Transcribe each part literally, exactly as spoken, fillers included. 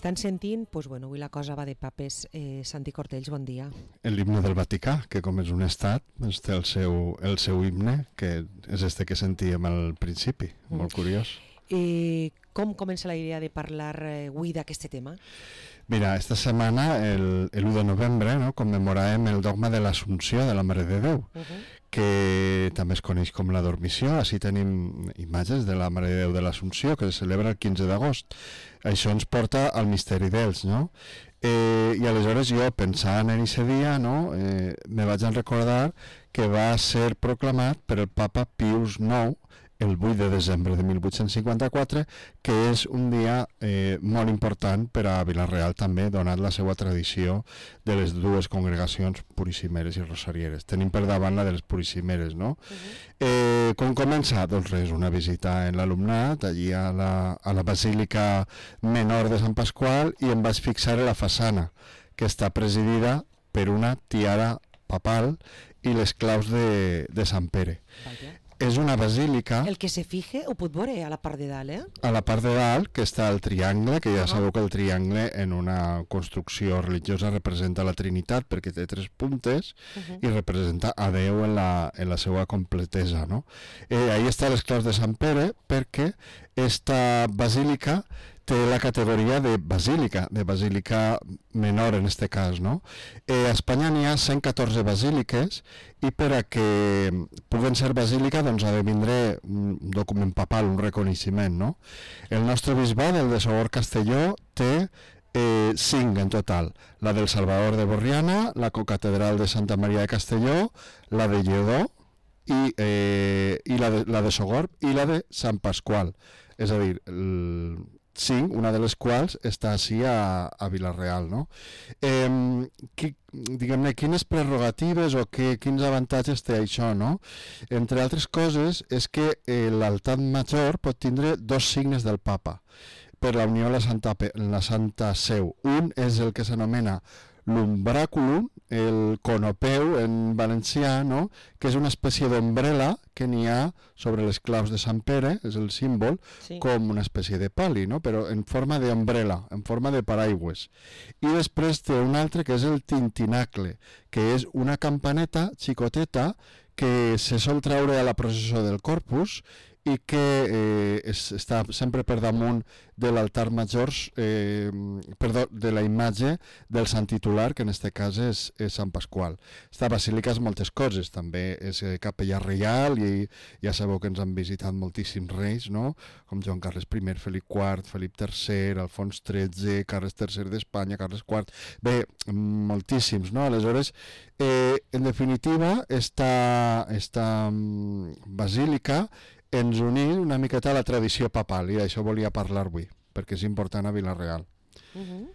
estan sentint, doncs, bueno, avui la cosa va de papes. Eh, Santi Cortells, bon dia. L'himne del Vaticà, que com és un estat, doncs té el seu, el seu himne, que és este que sentíem al principi, mm. molt curiós. I com comença la idea de parlar eh, avui d'aquest tema? Mira, esta setmana, el, el u de novembre, no, commemoràvem el dogma de l'Assumpció de la Mare de Déu, uh -huh. que també es coneix com la Dormició. Així tenim imatges de la Mare de Déu de l'Assumpció, que es celebra el quinze d'agost. Això ens porta al misteri d'ells, no? Eh, I aleshores jo, pensant en aquest dia, no, eh, me vaig a recordar que va ser proclamat per el papa Pius nou el vuit de desembre de mil vuit-cents cinquanta-quatre, que és un dia eh, molt important per a Vila-real també, donat la seva tradició de les dues congregacions purissimeres i rosarieres. Tenim per davant la de les purissimeres, no? Uh-huh. eh, com comença? Doncs res, una visita en l'alumnat, allí a la, a la Basílica Menor de Sant Pasqual, i em vaig fixar en la façana, que està presidida per una tiara papal i les claus de, de Sant Pere. Vaya. És una basílica... El que se fije ho pot veure a la part de dalt, eh? A la part de dalt, que està el triangle, que ja uh-huh. sabeu que el triangle en una construcció religiosa representa la Trinitat, perquè té tres puntes, uh-huh. i representa a Déu en la, en la seva completesa, no? Eh, ahí està les claus de Sant Pere, perquè esta basílica té la categoria de basílica, de basílica menor en este cas, no? Eh, a Espanya n'hi ha cent catorze basíliques, i per a que puguen ser basílica doncs ha de vindre un document papal, un reconeixement, no? El nostre bisbat, el de Sogorb Castelló, té eh, cinc en total: la del Salvador de Borriana, la cocatedral de Santa Maria de Castelló, la de Lledó, i, eh, i la, de, la de Sogorb, i la de Sant Pasqual. És a dir, el, cinc, una de les quals està així a, a Vila-real, no? Eh, qui, diguem-ne, quines prerrogatives o que, quins avantatges té això, no? Entre altres coses, és que eh, l'altar major pot tindre dos signes del papa per la unió a la Santa, la Santa Seu. Un és el que s'anomena l'umbràculum, el conopeu en valencià, no? Que és una espècie d'ombrela que n'hi ha sobre les claus de Sant Pere, és el símbol, sí. Com una espècie de pali, no? Però en forma d'ombrela, en forma de paraigües. I després té un altre que és el tintinacle, que és una campaneta xicoteta que se sol treure a la processó del Corpus i que eh, es, està sempre per damunt de l'altar major, eh, perdó, de la imatge del sant titular, que en aquest cas és, és Sant Pasqual. Esta basílica és moltes coses, també és eh, capella reial, i ja sabeu que ens han visitat moltíssims reis, no? Com Joan Carles I, Felip quart, Felip tercer, Alfons tretze, Carles tercer d'Espanya, Carles quart, bé, moltíssims, no? Aleshores, eh, en definitiva, esta, esta um, basílica ens unís una miqueta a la tradició papal, i d'això volia parlar avui, perquè és important a Vila-real. Uh-huh.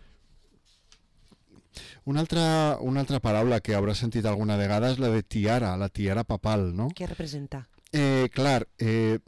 Una altra, una altra paraula que hauràs sentit alguna vegada és la de tiara, la tiara papal, no? Què representa? Eh, clar, eh,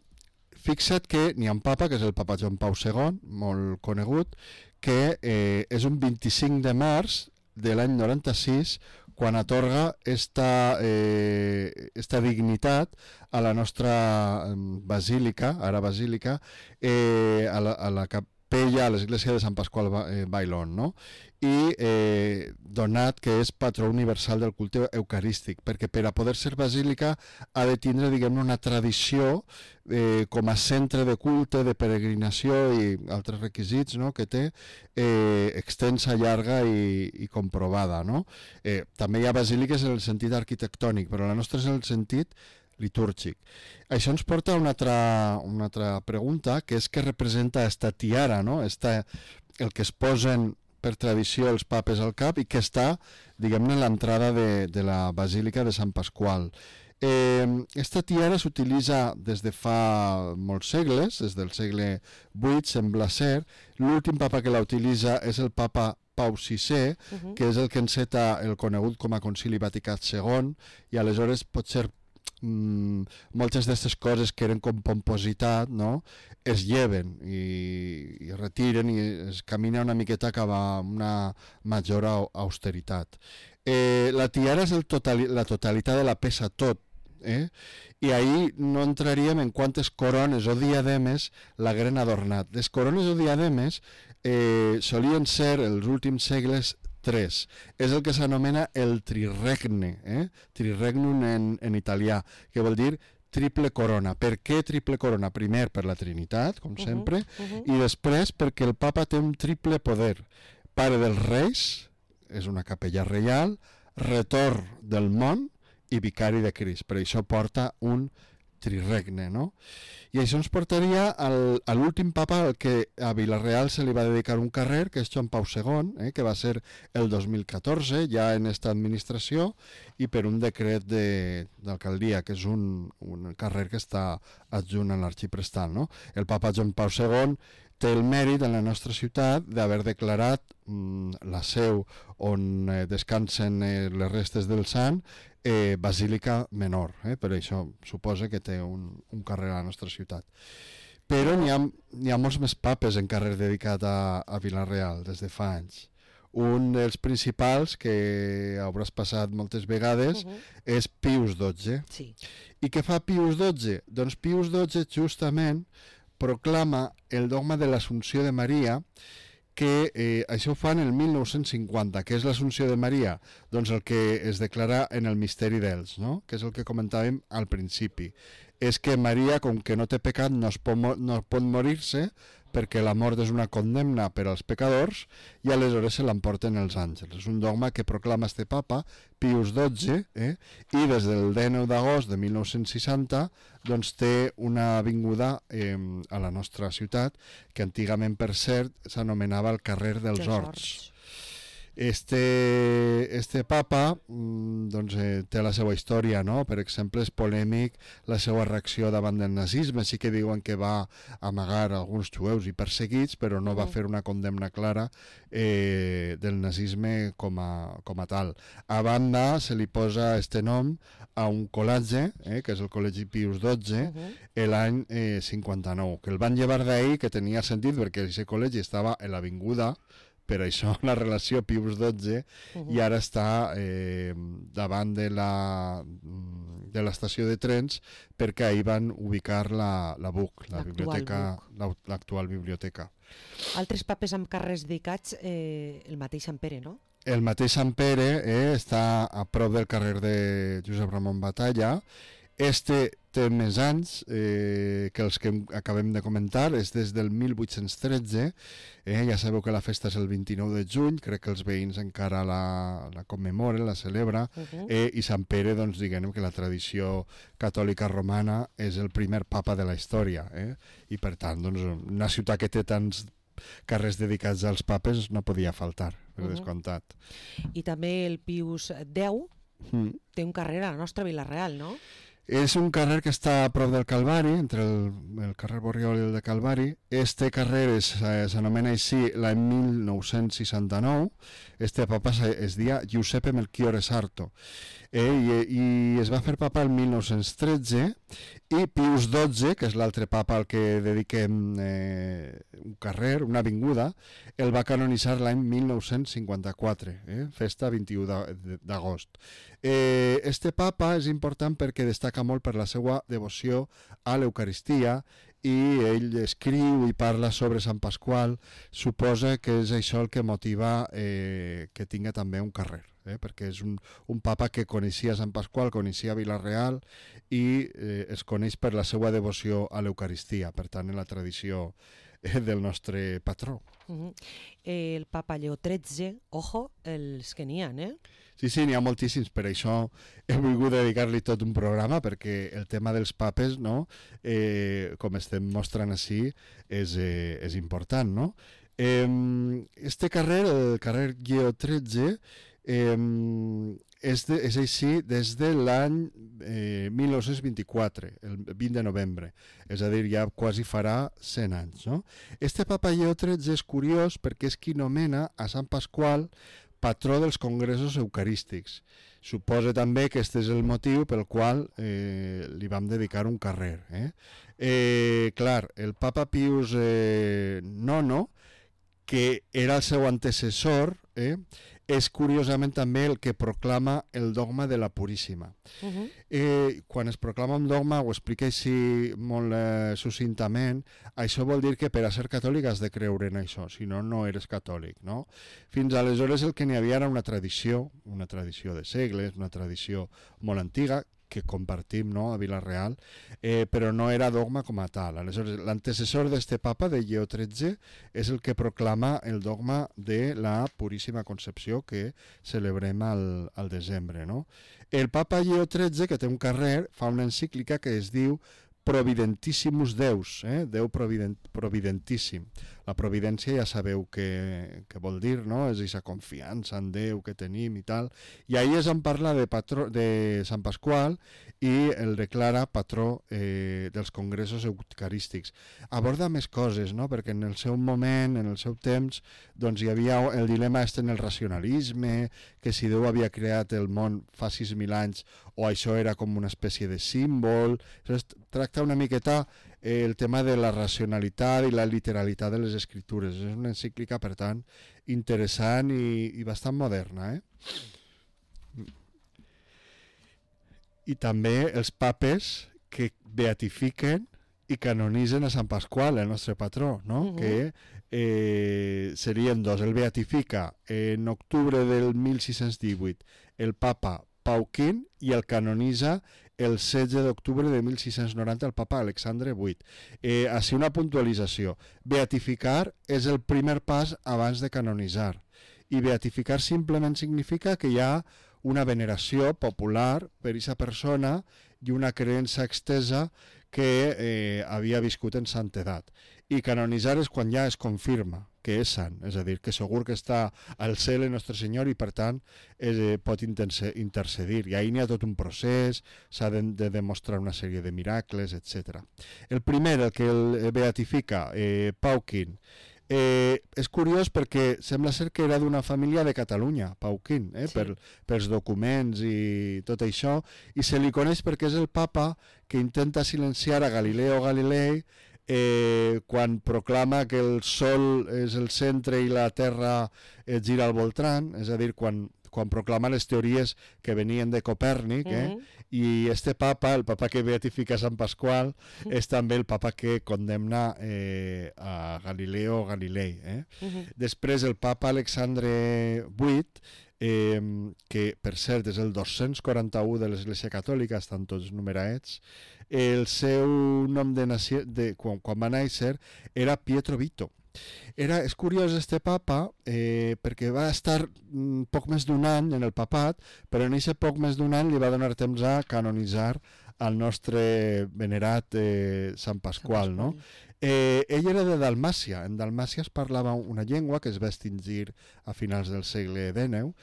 fixa't que n'hi ha un papa, que és el papa Joan Pau segon, molt conegut, que eh, és un vint-i-cinc de març de l'any noranta-sis, quan atorga esta, eh, esta dignitat a la nostra basílica, ara basílica, eh, a, la, a la capella, a l'església de Sant Pasqual eh, Bailón, no? I eh, donat que és patró universal del culte eucarístic, perquè per a poder ser basílica ha de tindre, diguem-ne, una tradició eh, com a centre de culte, de peregrinació i altres requisits, no?, que té eh, extensa, llarga i, i comprovada, no? Eh, també hi ha basíliques en el sentit arquitectònic, però la nostra és en el sentit litúrgic. Això ens porta a una altra, una altra pregunta, que és què representa esta tiara, no? Esta, el que es posen per tradició els papes al cap i que està, diguem-ne, a l'entrada de, de la Basílica de Sant Pasqual. Eh, esta tiara s'utilitza des de fa molts segles, des del segle vuit, sembla ser. L'últim papa que la utilitza és el papa Pau sisè, uh-huh. que és el que enceta el conegut com a Concili Vaticà segon, i aleshores pot ser Mm, moltes d'aquestes coses que eren com pompositat, no?, es lleven i, i retiren i es camina una miqueta cap a una major austeritat. Eh, la tiara és el totali, la totalitat de la peça, tot, eh? I ahir no entraríem en quantes corones o diademes l'hagueren adornat. Les corones o diademes eh, solien ser, els últims segles, tres. És el que s'anomena el triregne, eh? Triregnum en, en italià, que vol dir triple corona. Per què triple corona? Primer per la Trinitat, com sempre, uh-huh, uh-huh. i després perquè el papa té un triple poder. Pare dels reis, és una capella reial, retor del món i vicari de Crist. Per això porta un triregne, no? I això ens portaria al, a l'últim papa al que a Vila-real se li va dedicar un carrer, que és Joan Pau segon, eh, que va ser el dos mil catorze, ja en esta administració, i per un decret de, d'alcaldia, que és un, un carrer que està adjunt a l'arxiprestal, no? El papa Joan Pau segon té el mèrit en la nostra ciutat d'haver declarat mm, la seu on eh, descansen eh, les restes del sant eh, Basílica Menor, eh? Per això suposa que té un, un carrer a la nostra ciutat. Però n'hi ha, n'hi ha molts més papes en carrer dedicat a, a Vila-real des de fa anys. Un dels principals, que hauràs passat moltes vegades, uh-huh. és Pius dotze. Sí. I què fa Pius dotze? Doncs Pius dotze justament proclama el dogma de l'Assumpció de Maria, que eh, això ho fa en el mil nou-cents cinquanta. Què és l'Assumpció de Maria? Doncs el que es declara en el misteri d'Ells, no? Que és el que comentàvem al principi. És que Maria, com que no té pecat, no, es pot, no pot morir-se, perquè la mort és una condemna per als pecadors, i aleshores se l'emporten els àngels. És un dogma que proclama este papa, Pius dotze, eh? I des del dinou d'agost de mil nou-cents seixanta doncs té una avinguda eh, a la nostra ciutat, que antigament, per cert, s'anomenava el carrer dels Horts. Este, este papa doncs, eh, té la seva història, no? Per exemple, és polèmic la seva reacció davant del nazisme. Sí que diuen que va amagar alguns jueus i perseguits, però no va fer una condemna clara eh, del nazisme com a, com a tal. A banda, se li posa este nom a un col·legi, eh, que és el Col·legi Pius dotze, uh-huh. l'any eh, cinquanta-nou, que el van llevar d'ahir, que tenia sentit perquè aquest col·legi estava en l'avinguda, per això la relació Pius dotze, uh-huh. i ara està eh, davant de la de l'estació de trens, perquè ahir van ubicar la, la B U C, la biblioteca, la, l'actual biblioteca. Altres papes amb carrers dedicats, eh, el mateix Sant Pere, no? El mateix Sant Pere eh, està a prop del carrer de Josep Ramon Batalla. Este té més anys eh, que els que acabem de comentar, és des del mil vuit-cents tretze, eh, ja sabeu que la festa és el vint-i-nou de juny, crec que els veïns encara la, la commemoren, la celebra, uh-huh. eh, i Sant Pere, doncs diguem que la tradició catòlica romana és el primer papa de la història, eh? I per tant, doncs, una ciutat que té tants carrers dedicats als papes no podia faltar, per uh-huh. descomptat. I també el Pius deu mm. té un carrer a la nostra Vila-real, no? És un carrer que està a prop del Calvari, entre el, el carrer Borriol i el de Calvari. Este carrer és, s'anomena així l'any mil nou-cents seixanta-nou. Este papa es deia Giuseppe Melchiorre Sarto. Eh, i, I es va fer papa el mil nou-cents tretze, i Pius dotze, que és l'altre papa al que dediquem eh, un carrer, una avinguda, el va canonitzar l'any mil nou-cents cinquanta-quatre, eh, festa vint-i-u d'agost. Eh, este papa és important perquè destaca molt per la seva devoció a l'Eucaristia, i ell escriu i parla sobre Sant Pasqual. Suposa que és això el que motiva eh, que tinga també un carrer, eh, perquè és un, un papa que coneixia Sant Pasqual, coneixia Vila-real, i eh, es coneix per la seva devoció a l'Eucaristia, per tant en la tradició eh, del nostre patró. Uh-huh. eh, el papa Lleó tretze, ojo, els que n'hi ha, eh? Sí, sí, n'hi ha moltíssims, per això he volgut dedicar-li tot un programa, perquè el tema dels papes, no? eh, com estem mostrant així, és, eh, és important, no? Eh, este carrer, el carrer Lleó tretze, eh, és, de, és així des de l'any eh, mil nou-cents vint-i-quatre, el vint de novembre, és a dir, ja quasi farà cent anys, no? Este papa Lleó tretze és curiós perquè és qui nomena a Sant Pasqual patró dels congressos eucarístics. Suposa també que aquest és el motiu pel qual eh, li vam dedicar un carrer. Eh? Eh, clar, el papa Pius eh, nono, que era el seu antecessor, eh, és curiosament també el que proclama el dogma de la Puríssima. Uh -huh. eh, quan es proclama un dogma, ho explica així molt eh, succintament, això vol dir que per a ser catòlic has de creure en això, si no, no eres catòlic, no? Fins aleshores el que n'hi havia era una tradició, una tradició de segles, una tradició molt antiga, que compartim, no?, a Vila-real, eh, però no era dogma com a tal. Aleshores, l'antecessor d'este papa, de Lleó tretze, és el que proclama el dogma de la Puríssima Concepció que celebrem al, al desembre, no? El papa Lleó tretze, que té un carrer, fa una encíclica que es diu Providentissimus Deus, eh? Déu provident, providentíssim. La providència ja sabeu què, què vol dir, no? És aquesta confiança en Déu que tenim i tal. I ahir es en parla de, patró, de Sant Pasqual i el declara patró eh, dels congressos eucarístics. Aborda més coses, no? Perquè en el seu moment, en el seu temps, doncs hi havia el dilema este en el racionalisme, que si Déu havia creat el món fa sis mil anys o això era com una espècie de símbol. Llavors, tracta una miqueta eh, el tema de la racionalitat i la literalitat de les escritures. És una encíclica, per tant, interessant i, i bastant moderna, eh? I també els papes que beatifiquen i canonitzen a Sant Pasqual, el nostre patró, no? Uh -huh. Que eh, serien dos. El beatifica en octubre del mil sis-cents divuit el papa Pau quint i el canonitza el setze d'octubre de mil sis-cents noranta el papa Alexandre vuit. Eh, així una puntualització. Beatificar és el primer pas abans de canonitzar. I beatificar simplement significa que hi ha una veneració popular per aquesta persona i una creença extesa que eh, havia viscut en santedat. I canonitzar és quan ja es confirma que és sant, és a dir, que segur que està al cel el nostre Senyor i per tant eh, pot intercedir. I ahir n'hi ha tot un procés, s'ha de, de demostrar una sèrie de miracles, etcètera. El primer, el que el beatifica, eh, Pau quint, Eh, és curiós perquè sembla ser que era d'una família de Catalunya, Pau quint, eh, sí. per, pels documents i tot això, i se li coneix perquè és el papa que intenta silenciar a Galileo Galilei eh, quan proclama que el sol és el centre i la terra eh, gira al voltant, és a dir, quan quan proclama les teories que venien de Copèrnic, eh? Uh-huh. I este papa, el papa que beatifica Sant Pasqual, uh-huh. és també el papa que condemna eh, a Galileo Galilei. Eh? Uh-huh. Després el papa Alexandre vuit, eh, que per cert és el dos-cents quaranta-u de l'Església Catòlica, estan tots numerats, el seu nom de, naci... de quan, quan va néixer era Pietro Vito. Era, és curiós este papa eh, perquè va estar mm, poc més d'un any en el papat, però en aquest poc més d'un any li va donar temps a canonitzar al nostre venerat eh, Sant Pasqual, no? Eh, ell era de Dalmàcia. En Dalmàcia es parlava una llengua que es va extingir a finals del segle dènou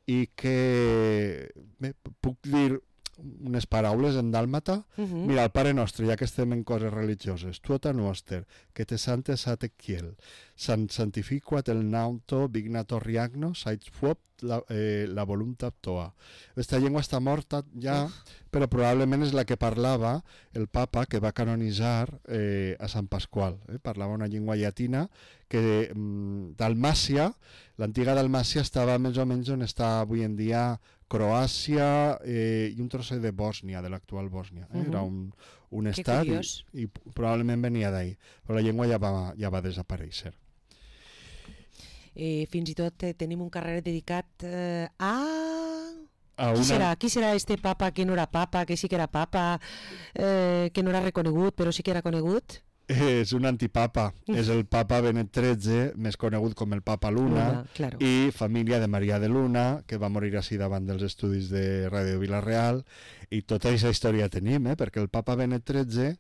i que, bé, puc dir unes paraules en dàlmata. Uh-huh. Mira, el Pare Nostre, ja que estem en coses religioses, tuota noster, que te santes a te kiel, sant santifiquat el nauto vignator riagno, sait fuop la, eh, la voluntat toa. Aquesta llengua està morta ja, però probablement és la que parlava el papa que va canonitzar eh, a Sant Pasqual. Eh? Parlava una llengua llatina que mm, Dalmàcia, l'antiga Dalmàcia estava més o menys on està avui en dia Croàcia eh, i un trosset de Bòsnia, de l'actual Bòsnia. Eh? Uh-huh. Era un, un estat i, i probablement venia d'ahir, però la llengua ja va, ja va desaparèixer. Eh, fins i tot eh, tenim un carrer dedicat eh, a... a qui una... serà? Qui serà este papa que no era papa, que sí que era papa, eh, que no era reconegut, però sí que era conegut? És un antipapa, és el papa Benet tretze, més conegut com el papa Luna, Luna claro. I família de Maria de Luna, que va morir així davant dels estudis de Ràdio Vila-real, i tota aquesta història tenim, eh? Perquè el papa Benet tretze,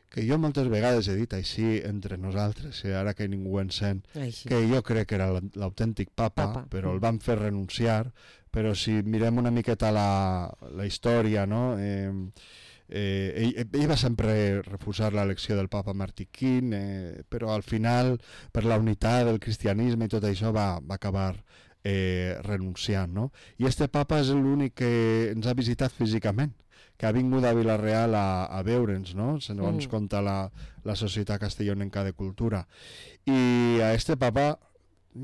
que jo moltes vegades he dit així entre nosaltres, eh? Ara que ningú en sent, així. Que jo crec que era l'autèntic papa, papa, però el van fer renunciar, però si mirem una miqueta la, la història, no?, eh, Eh, ell, ell va sempre refusar l'elecció del papa Martí quint, eh, però al final per la unitat del cristianisme i tot això va, va acabar eh, renunciant, no? I este papa és l'únic que ens ha visitat físicament, que ha vingut a Vila-real a, a veure'ns, no? Segons mm. conta la, la Societat Castellonenca de Cultura. I a este papa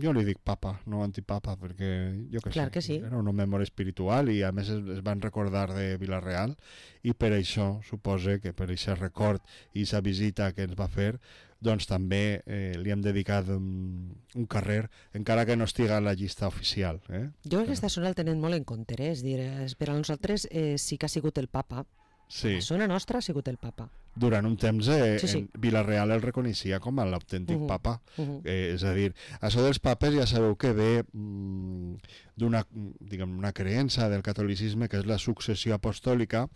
jo li dic papa, no antipapa, perquè jo què Clar sé, que sí. era un home molt espiritual i a més es, es van recordar de Vila-real i per això supose que per aquest record i aquesta visita que ens va fer doncs també eh, li hem dedicat un, un carrer, encara que no estiga a la llista oficial. Eh? Jo aquesta zona el tenen molt en compte, eh? És dir, per a nosaltres eh, sí que ha sigut el papa. Sí. La zona nostra ha sigut el papa. Durant un temps eh, Sí, sí. en Vila-real el reconeixia com a l'autèntic Uh-huh. papa. Uh-huh. Eh, és a dir, això dels papes ja sabeu que ve mm, d'una diguem, una creença del catolicisme que és la successió apostòlica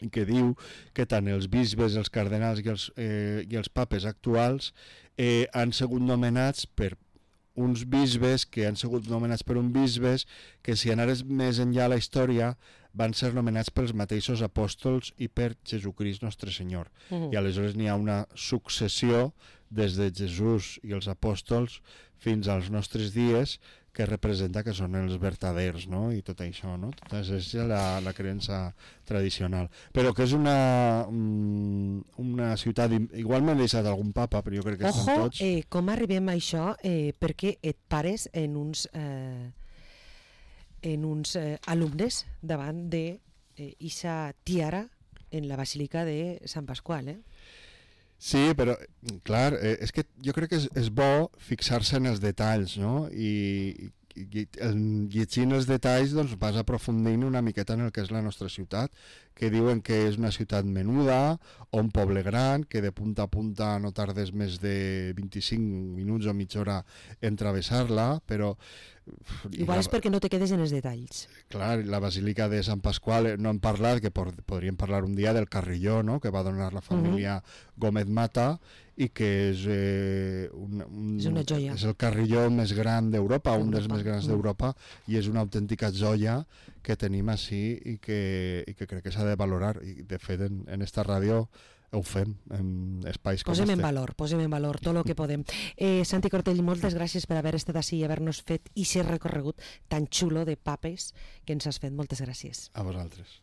i que diu que tant els bisbes, els cardenals i els, eh, i els papes actuals eh, han sigut nomenats per uns bisbes que han sigut nomenats per un bisbes que si anares més enllà a la història van ser nomenats pels mateixos apòstols i per Jesucrist Nostre Senyor. Uh-huh. I aleshores n'hi ha una successió des de Jesús i els apòstols fins als nostres dies que representa que són els vertaders, no? I tot això, no? Tota és la, la creença tradicional. Però que és una, una ciutat... Igual m'he deixat algun papa, però jo crec que Ojo, estan tots... eh, com arribem a això? Eh, perquè et pares en uns, eh, en uns eh, alumnes davant de eh, Isa tiara en la Basílica de Sant Pasqual, eh? Sí, però, clar, eh, és que jo crec que és, és bo fixar-se en els detalls, no? I, i, i llegint els detalls doncs, vas aprofundint una miqueta en el que és la nostra ciutat, que diuen que és una ciutat menuda o un poble gran, que de punta a punta no tardes més de vint-i-cinc minuts o mitja hora en travessar-la, però... Igual és perquè no te quedes en els detalls. Clar, la Basílica de Sant Pasqual, no hem parlat, que por, podríem parlar un dia del carrilló, no?, que va donar la família uh-huh. Gómez Mata i que és, eh, un, un, és una joia. És el carrilló més gran d'Europa, un dels més grans d'Europa, i és una autèntica joia que tenim així i que, i que crec que s'ha de valorar. I de fet, en, en esta ràdio ho fem en espais com posem este. en valor, posem en valor tot el que podem. Eh, Santi Cortell, moltes gràcies per haver estat així i haver-nos fet i ser recorregut tan xulo de papes que ens has fet. Moltes gràcies. A vosaltres.